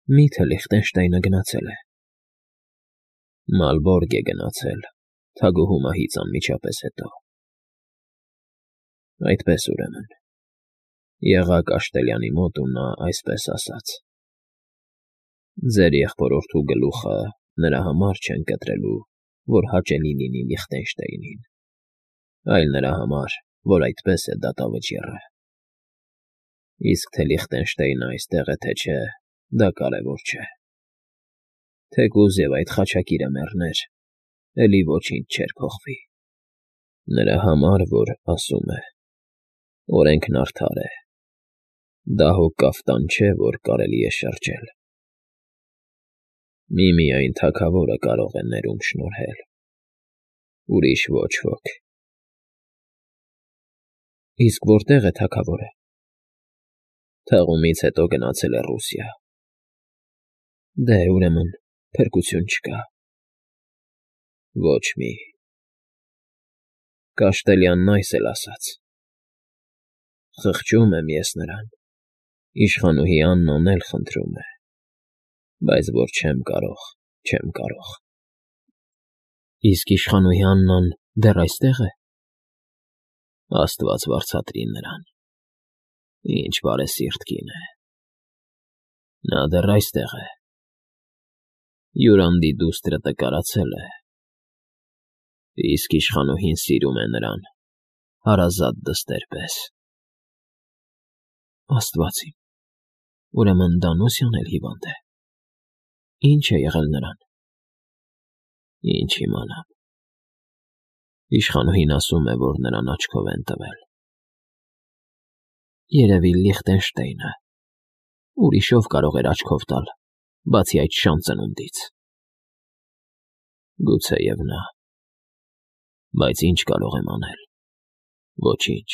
Մի՞թե Լիխտենշտայնը գնացել է։ Մալբորգ է գնացել, թագուհու մահից անմիջապես հետո։ Այդպես ուրեմն, եղաք Աշտելյանի մոտ ու նա այսպես ասաց. ձեր եղբորորդու գլուխը նրա համար չեն կտրելու, որ հաճելի լինի Լիխտենշտեյնին, այլ նրա համար, որ այդպես է դատավճիռը։ Իսկ թե Լիխտենշտեյնը այստեղ է, թե չէ, դա կարևոր չէ։ Թեկուզ և այդ խաչակիրը մեռներ, էլի ոչինչ չէր փոխվի։ Նրա համար, որ ասում է. օրենքն արդար է, դա հո կաֆտան չէ, որ կարելի է շրջել։ Միմիայն թագավորը կարող է ներում շնորհել, ուրիշ ոչ ոք։ Իսկ որտե՞ղ է թագավորը։ Թաղումից հետո գնացել է Ռուսիա։ Դե, ուրեմն, փրկություն չկա։ Ոչ մի։ Կաշտելյանն այս էլ ասաց. խղճում եմ ես նրան, իշխանուհի Աննան էլ խնդրում է, բայց որ չեմ կարող։ Իսկ իշխանուհի Աննան դեռ այստե՞ղ է։ Աստված վարձատրի նրան, ինչ բարեսիրտ կին է։ Նա դեռ այստեղ է։ Յուրանդի դուստրը տկարացել է, իսկ իշխանուհին սիրում է նրան հարազատ դստեր պես։ Աստված իմ, ուրեմն Դանուսյան էլ հիվանդ է։ Ինչ է եղել նրան։ Ինչ իմանամ։ Իշխանուհին ասում է, որ նրան աչքով են տվել։ Երևի Լիխտենշտեյնը, ուրիշով կարող էր աչքով տալ, բացի այդ շան ծնունդից։ Գուցեև նա, բայց ինչ կարող եմ անել։ Ոչինչ։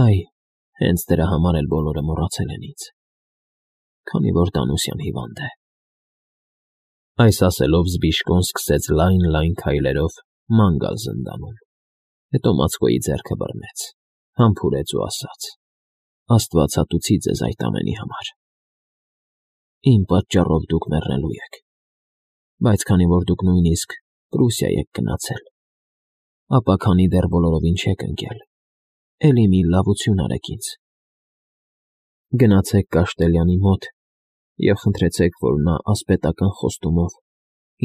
Այ, հենց դրա համար էլ բոլորը մոռացել են ինձ, քանի որ Դանուսյան հիվանդ է։ Այս ասելով Զբիշկոն սկսեց լայն քայլերով ման գալ զնդանում, հետո Մացկոյի ձեռքը բռնեց, համբուրեց ու ասաց. Աստվածատուցի ձեզ այդ ամենի համար։ Իմ պատճառով դուք մեռնելու եք, բայց քանի որ դուք նույնիսկ Պրուսիա եք գնացել, ապա քանի դեռ բոլորովին չեք ընկել, էլի մի լավություն արեք ինձ։ Գնացեք Կաշտելյանի մոտ և խնդրեցեք, որ նա ասպետական խոստումով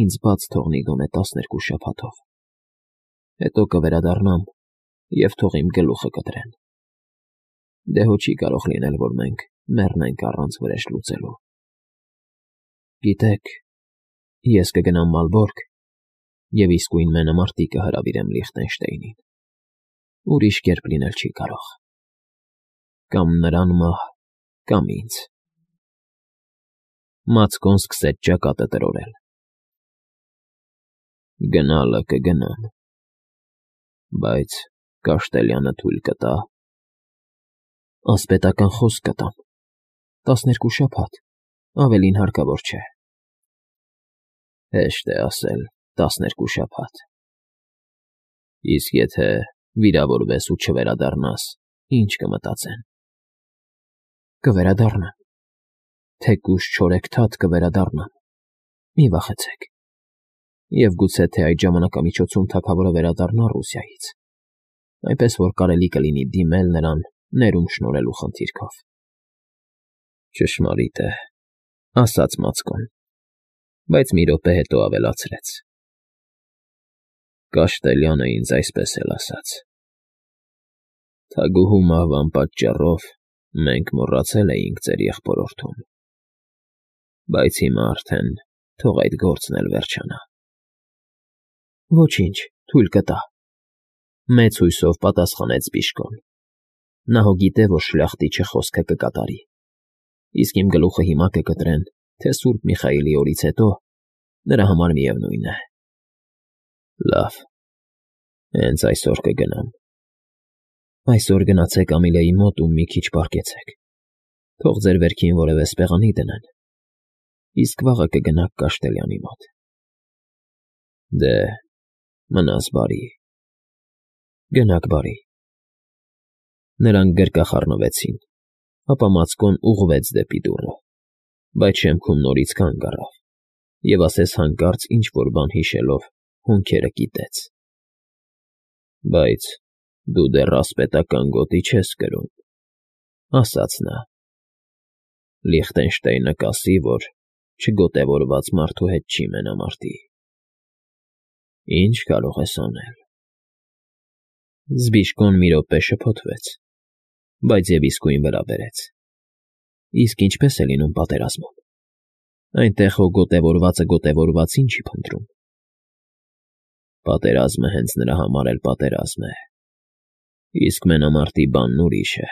ինձ բաց թողնի գոնե 12 շաբաթով։ Հետո կվերադառնամ և թող իմ գլուխը կտրեն։ Դե հո չի կարող լինել, որ մենք մեռնենք առանց վրեժ լուծելու։ Գիտեք, ես կգնամ Մալբորգ և իսկույն մենամարտի կհրավիրեմ Լիխտենշտեյնին։ Ուրիշ կերպ լինել չի կարող։ Կամ նրան մահ, կամ ինձ։ Մացկոն սկսեց ճակատը տրորել։ Գնալը կգնամ, բայց Կաշտելյանը թույլ կտա։ Ասպետական խոսք կտամ, 12 շաբաթ, ավելին հարկավոր չէ։ Հեշտ է ասել 12 շաբաթ։ Իսկ եթե վիրավորվես ու չվերադառնաս, ինչ կմտածեն։ Կվերադառնամ, թեկուզ չորեքթաթ կվերադառնամ, մի վախեցեք։ Եվ գուցե թե այդ ժամանակամիջոցում թագավորը վերադառնա Ռուսիայից, այնպես որ կարելի կլինի դիմել նրան ներում շնորհելու խնդիրքով։ Ճշմարիտ է, ասաց Մացկոն, բայց մի րոպե հետո ավելացրեց. Կաշտելյանը ինձ այսպես էլ ասաց. թագուհու մահվան պատճառով մենք մոռացել էինք ձեր եղբորորդուն, բայց հիմա արդեն թող այդ գործն էլ վերջանա։ Ոչինչ, թույլ կտա, մեծ հույսով պատասխանեց Զբիշկոն։ Նա հո գիտե, որ շլախտիչը խոսքը կկատարի, իսկ իմ գլուխը հիմա կկտրեն, թե Սուրբ Միխայիլի օրից հետո, նրա համար միևնույն է։ Լավ, հենց այսօր կգնամ։ Այսօր գնացեք Ամիլեի մոտ ու մի քիչ պառկեցեք, թող ձեր վերքին որևէ սպեղանի դնեն, իսկ վաղը կգնաք Կաշտելյանի մոտ։ Դե, մնաս բարի։ Գնաք բարի։ Նրանք գրկախառնվեցին, ապա Մացկոն ուղղվեց դեպի դուռը։ Բայց շեմքում նորից կանգ առավ և ասես հանկարծ ինչ֊որ բան հիշելով հոնքերը կիտեց. «Բայց դու դեռ ասպետական գոտի չես կրում,֊ ասաց նա։֊ Լիխտենշտեյնը կասի, որ չգոտևորված մարդու հետ չի մենամարտի։ Ի՞նչ կարող ես անել»։ Զբիշկոն մի րոպե շփոթվեց, բայց և իսկույն վրա բերեց. «Իսկ ինչպե՞ս է լինում պատերազմում։ Այնտեղ հո գոտևորվածը գոտևորվածին չի փնտրում»։ Պատերազմը հենց նրա համար էլ պատերազմ է, իսկ մենամարտի բանն ուրիշ է։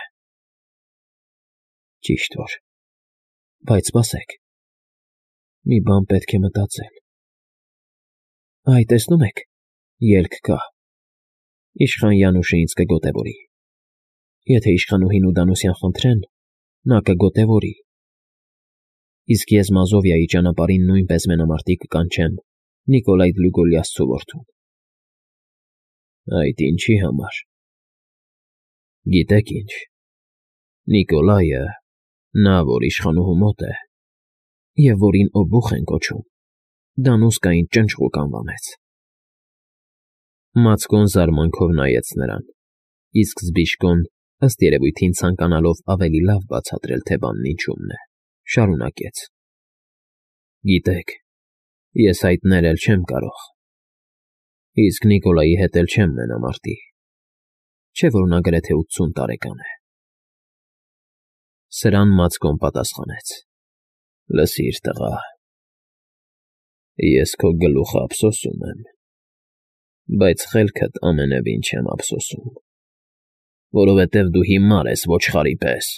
Ճիշտ որ, բայց սպասեք, մի բան պետք է մտածել։ Այ, տեսնում եք, ելք կա։ Իշխան Յանուշը ինձ կգոտևորի։ Եթե իշխանուհին ու Դանուսյան խնդրեն, նա կգոտևորի։ Իսկ ես Մազովիայի ճանապարհին նույնպես մենամարտի կկանչեմ Նիկոլայ Դլուգոլիասցու որդուն։ Այդ ինչի համար։ Գիտեք ինչ, Նիկոլայը, նա, որ իշխանուհու մոտ է, և որին օբուխ են կոչում, Դանուսկային ճնճղուկ անվանեց։ Մացկոն զարմանքով նայեց նրան, իսկ Զբիշկոն, ըստ երևույթին ցանկանալով ավելի լավ բացատրել, թե բանն ինչումն է, շարունակեց. Գիտեք, ես հայտնել չեմ կարող։ Իսկ Նիկոլայի հետ էլ չեմ մենամարտի, չէ՞ որ նա գրեթե 80 տարեկան է։ Սրան Մացկոն պատասխանեց. Լսիր, տղա, ես քո գլուխը ափսոսում եմ, բայց խելքդ ամենևին չեմ ափսոսում, որովհետև դու հիմար ես ոչխարի պես։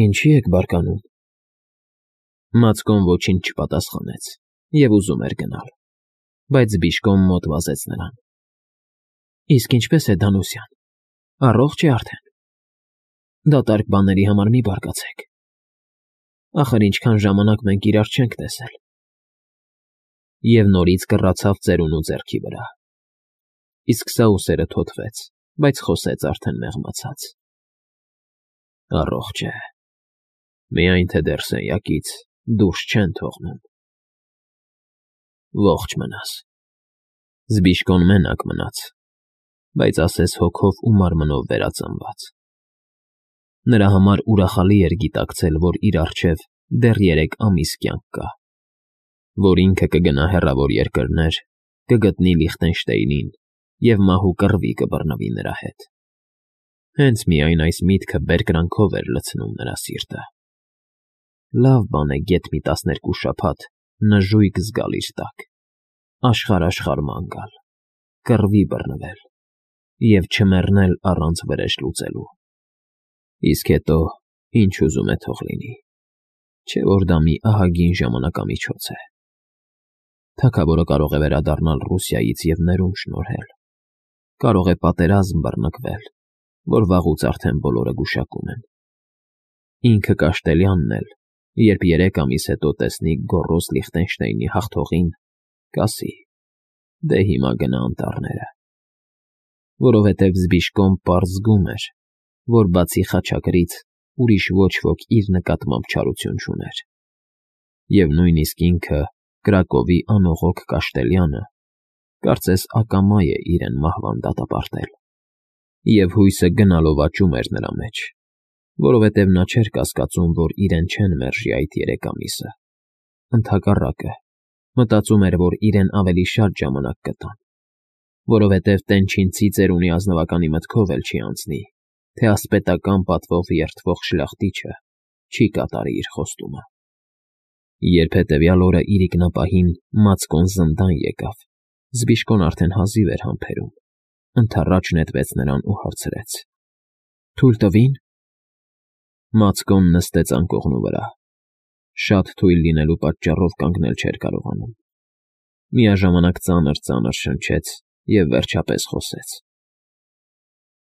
Ինչի՞ եք բարկանում։ Մացկոն ոչինչ չպատասխանեց և ուզում էր գնալ, բայց Զբիշկոն մոտ վազեց նրան. Իսկ ինչպե՞ս է Դանուսյան, առողջ է արդեն։ Դատարկ բաների համար մի բարկացեք։ Ախր ինչքան ժամանակ մենք իրար չենք տեսել։ Եվ նորից կռացավ ծերունու ձեռքի վրա։ Իսկ սա ուսերը թոթվեց, բայց խոսեց արդեն մեղմացած. Առողջ է, միայն թե դեռ սենյակից դուրս չեն թողնում։ Ողջ մնաս։ Զբիշկոն մենակ մնաց, բայց ասես հոգով ու մարմնով վերածնված։ Նրա համար ուրախալի էր գիտակցել, որ իր առջև դեռ 3 ամիս կյանք կա, որ ինքը կգնա հեռավոր երկրներ, կգտնի Լիխտենշտեյնին և մահու կռվի կբռնվի նրա հետ։ Հենց միայն այս միտքը բերկրանքով էր լցնում նրա սիրտը։ Լավ բան է գեթ մի 12 շաբաթ նժույգ զգալ իր տակ, աշխարհ ման գալ, կռվի բռնվել և չմեռնել առանց վրեժ լուծելու։ Իսկ հետո ինչ ուզում է թող լինի, չէ՞ որ դա մի ահագին ժամանակամիջոց է։ Թագավորը կարող է վերադառնալ Ռուսիայից և ներում շնորհել, կարող է պատերազմ բռնկվել, որ վաղուց արդեն բոլորը գուշակում են։ Ինքը Կաշտելյանն էլ, երբ 3 ամիս հետո տեսնի գոռոզ Լիխտենշտեյնի հաղթողին, կասի. դե հիմա գնա անտառները։ Որովհետև Զբիշկոն պարզ զգում էր, որ բացի խաչակրից ուրիշ ոչ ոք իր նկատմամբ չարություն չուներ։ Եվ նույնիսկ ինքը, Կրակովի անողոք Կաշտելյանը, կարծես ակամա է իրեն մահվան դատապարտել։ Եվ հույսը գնալով աճում էր նրա մեջ, որովհետև նա չէր կասկածում, որ իրեն չեն մերժի այդ 3 ամիսը։ Ընդհակառակը, մտածում էր, որ իրեն ավելի շատ ժամանակ կտան, որովհետև տենչինցի ծերունի ազնվականի մտքով էլ չի անցնի, թե ասպետական պատվով երդվող շլախտիչը չի կատարի իր խոստումը։ Երբ հետևյալ օրը իրիկնապահին Մացկոն զնդան եկավ, Զբիշկոն արդեն հազիվ էր համբերում, ընդառաջ նետվեց նրան ու հարցրեց. Թույլ տվի՞ն։ Մացկոն նստեց անկողնու վրա, շատ թույլ լինելու պատճառով կանգնել չէր կարողանում։ Միաժամանակ ծանր շնչեց և վերջապես խոսեց.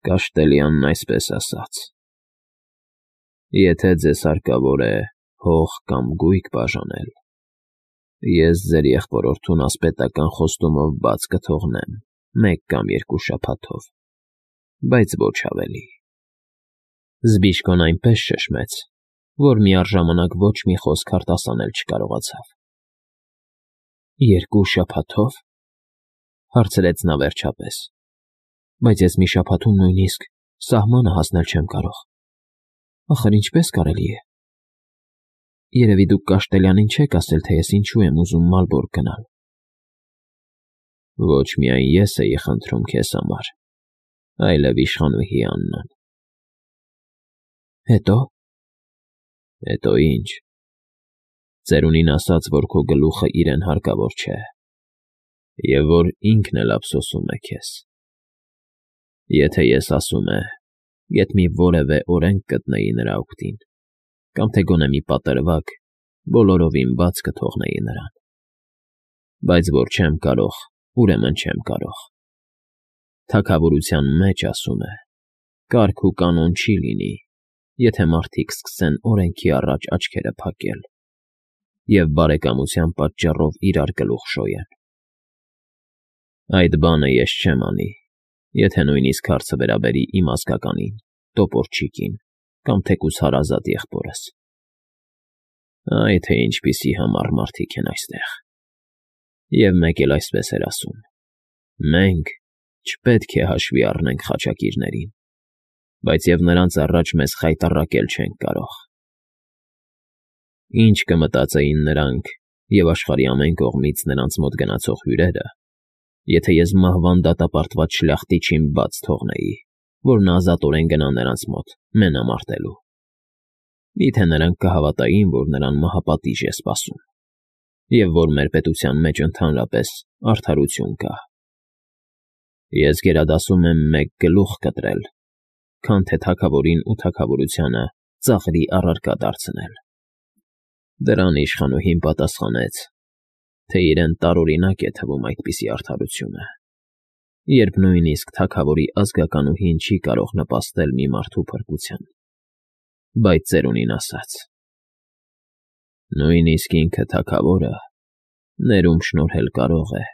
Կաշտելյանն այսպես ասաց. Եթե ձեզ հարկավոր է հող կամ գույք բաժանել, ես ձեր եղբորորդուն ասպետական խոստումով բաց կթողնեմ 1 կամ 2 շաբաթով, բայց ոչ ավելի։ Զբիշկոն այնպես շշմեց, որ միառժամանակ ոչ մի խոսք արտասանել չկարողացավ։ 2 շաբաթով, հարցրեց նա վերջապես, բայց ես մի շաբաթում նույնիսկ սահմանը հասնել չեմ կարող։ Ախր ինչպես կարելի է։ Երևի դուք Կաշտելյանին չեք ասել, թե ես ինչու եմ ուզում Մալբորգ գնալ։ Ոչ միայն ես էի խնդրում քեզ համար, այլև իշխանուհի Աննան։ Հետո։ Հետո ինչ։ Ծերունին ասաց, որ քո գլուխը իրեն հարկավոր չէ, և որ ինքն էլ ափսոսում է քեզ։ Եթե ես ասում է, եթե մի որևէ օրենք գտնեի նրա օգտին, կամ թե գոնե մի պատրվակ, բոլորովին բաց կթողնեի նրան։ Բայց որ չեմ կարող, ուրեմն չեմ կարող։ Թագավորության մեջ, ասում է, կարգ ու կանոն չի լինի, եթե մարդիկ սկսեն օրենքի առաջ աչքերը փակել և բարեկամության պատճառով իրար գլուխ շոյեն։ Այդ բանը ես չեմ անի, եթե նույնիսկ հարցը վերաբերի իմ ազգականին, տոպորչիկին կամ թեկուզ հարազատ եղբորս։ Այ թե ինչպիսի համառ մարդիկ են այստեղ։ Եվ մեկ էլ այսպես էր ասում. մենք չպետք է հաշվի առնենք խաչակիրներին, բայց և նրանց առաջ մեզ խայտառակել չենք կարող։ Ինչ կմտածեին նրանք և աշխարհի ամեն կողմից նրանց մոտ գնացող հյուրերը, եթե ես մահվան դատապարտված շլախտիչին բաց թողնեի, որ նա ազատորեն գնա նրանց մոտ մենամարտելու։ Միթե նրանք կհավատային, որ նրան մահապատիժ է սպասում, և որ մեր պետության մեջ ընդհանրապես արդարություն կա։ Ես գերադասում եմ մեկ գլուխ կտրել, քան թե թագավորին ու թագավորությանը ծաղրի առարկա դարձնել։ Դրան իշխանուհին պատասխանեց, թե իրեն տարօրինակ է թվում այդպիսի արդարությունը, երբ նույնիսկ թագավորի ազգականուհին չի կարող նպաստել մի մարդու փրկության։ Բայց ծերունին ասաց. նույնիսկ ինքը թագավորը ներում շնորհել կարող է,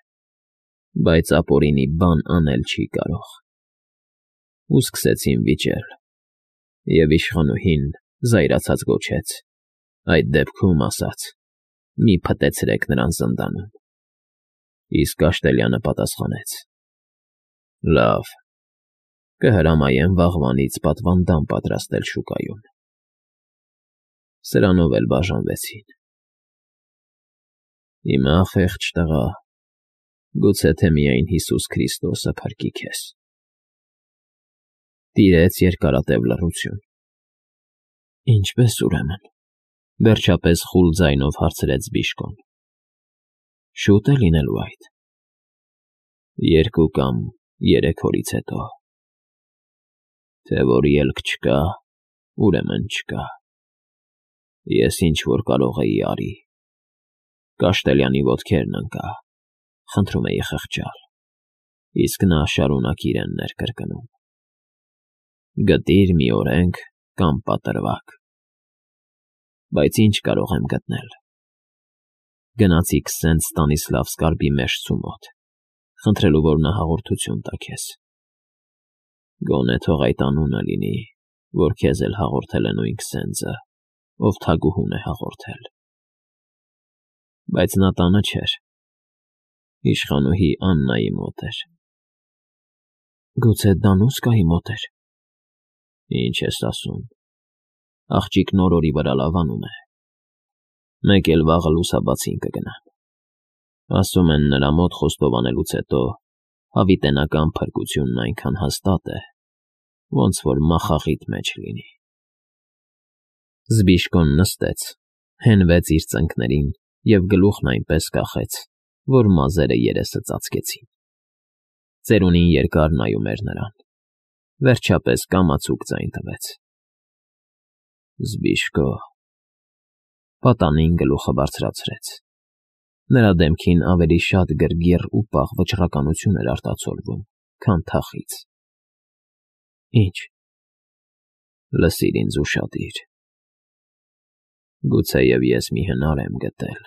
բայց ապօրինի բան անել չի կարող։ Ու սկսեցին վիճել, և իշխանուհին զայրացած գոչեց. այդ դեպքում, ասաց, մի փտեցրեք նրան զնդանում։ Իսկ Կաշտելյանը պատասխանեց. լավ, կհրամայեմ վաղվանից պատվանդան պատրաստել շուկայում։ Սրանով էլ բաժանվեցին։ Հիմա, խեղճ տղա, գուցե թե միայն Հիսուս Քրիստոսը փրկի քեզ։ Տիրեց երկարատև լռություն։ Ինչպե՞ս ուրեմն, վերջապես խուլ ձայնով հարցրեց Բիժկոն։ Շուտ է լինելու այդ։ 2 կամ 3 օրից հետո։ Թե որ ելք չկա, ուրեմն չկա։ Ես ինչ որ կարող էի արի։ Կաշտելյանի ոտքերն ընկա, խնդրում էի խղճալ, իսկ նա շարունակ իրեն ներկրկնում. գտիր մի օրենք կամ պատրվակ։ Բայց ինչ կարող եմ գտնել։ Գնացի Քսենտ Ստանիսլավսկի մեշտցու մոտ, խնդրելու, որ նա հաղորդություն տա քեզ։ Գոնե թող այդ անունը լինի, որ քեզ էլ հաղորդել է նույն Քսենտը, ով թագուհուն է հաղորդել։ Բայց նա տանը չէր, իշխանուհի Աննայի մոտ էր։ Գուցե Դանուսկայի մոտ էր։ Ինչ ես ասում, աղջիկն օրորի վրա լավանում է։ Մեկ էլ վաղը լուսաբացին կգնամ։ Ասում են, նրա մոտ խոստովանելուց հետո հավիտենական փրկությունն այնքան հաստատ է, ոնց որ մախաղիթ մեջ լինի։ Զբիժկոն նստեց, հենվեց իր ծնկներին և գլուխն այնպես կախեց, որ մազերը երեսը ծածկեցին։ Ծերունին երկար նայում էր նրան, վերջապես կամացուկ ձայն տվեց. Զբիժկո։ Պատանին գլուխը բարձրացրեց։ Նրա դեմքին ավելի շատ գրգիռ ու պաղ վճռականություն էր արտացոլվում, քան թախիծ։ Ինչ։ Լսիր ինձ ուշադիր։ Գուցեև ես մի հնար եմ գտել,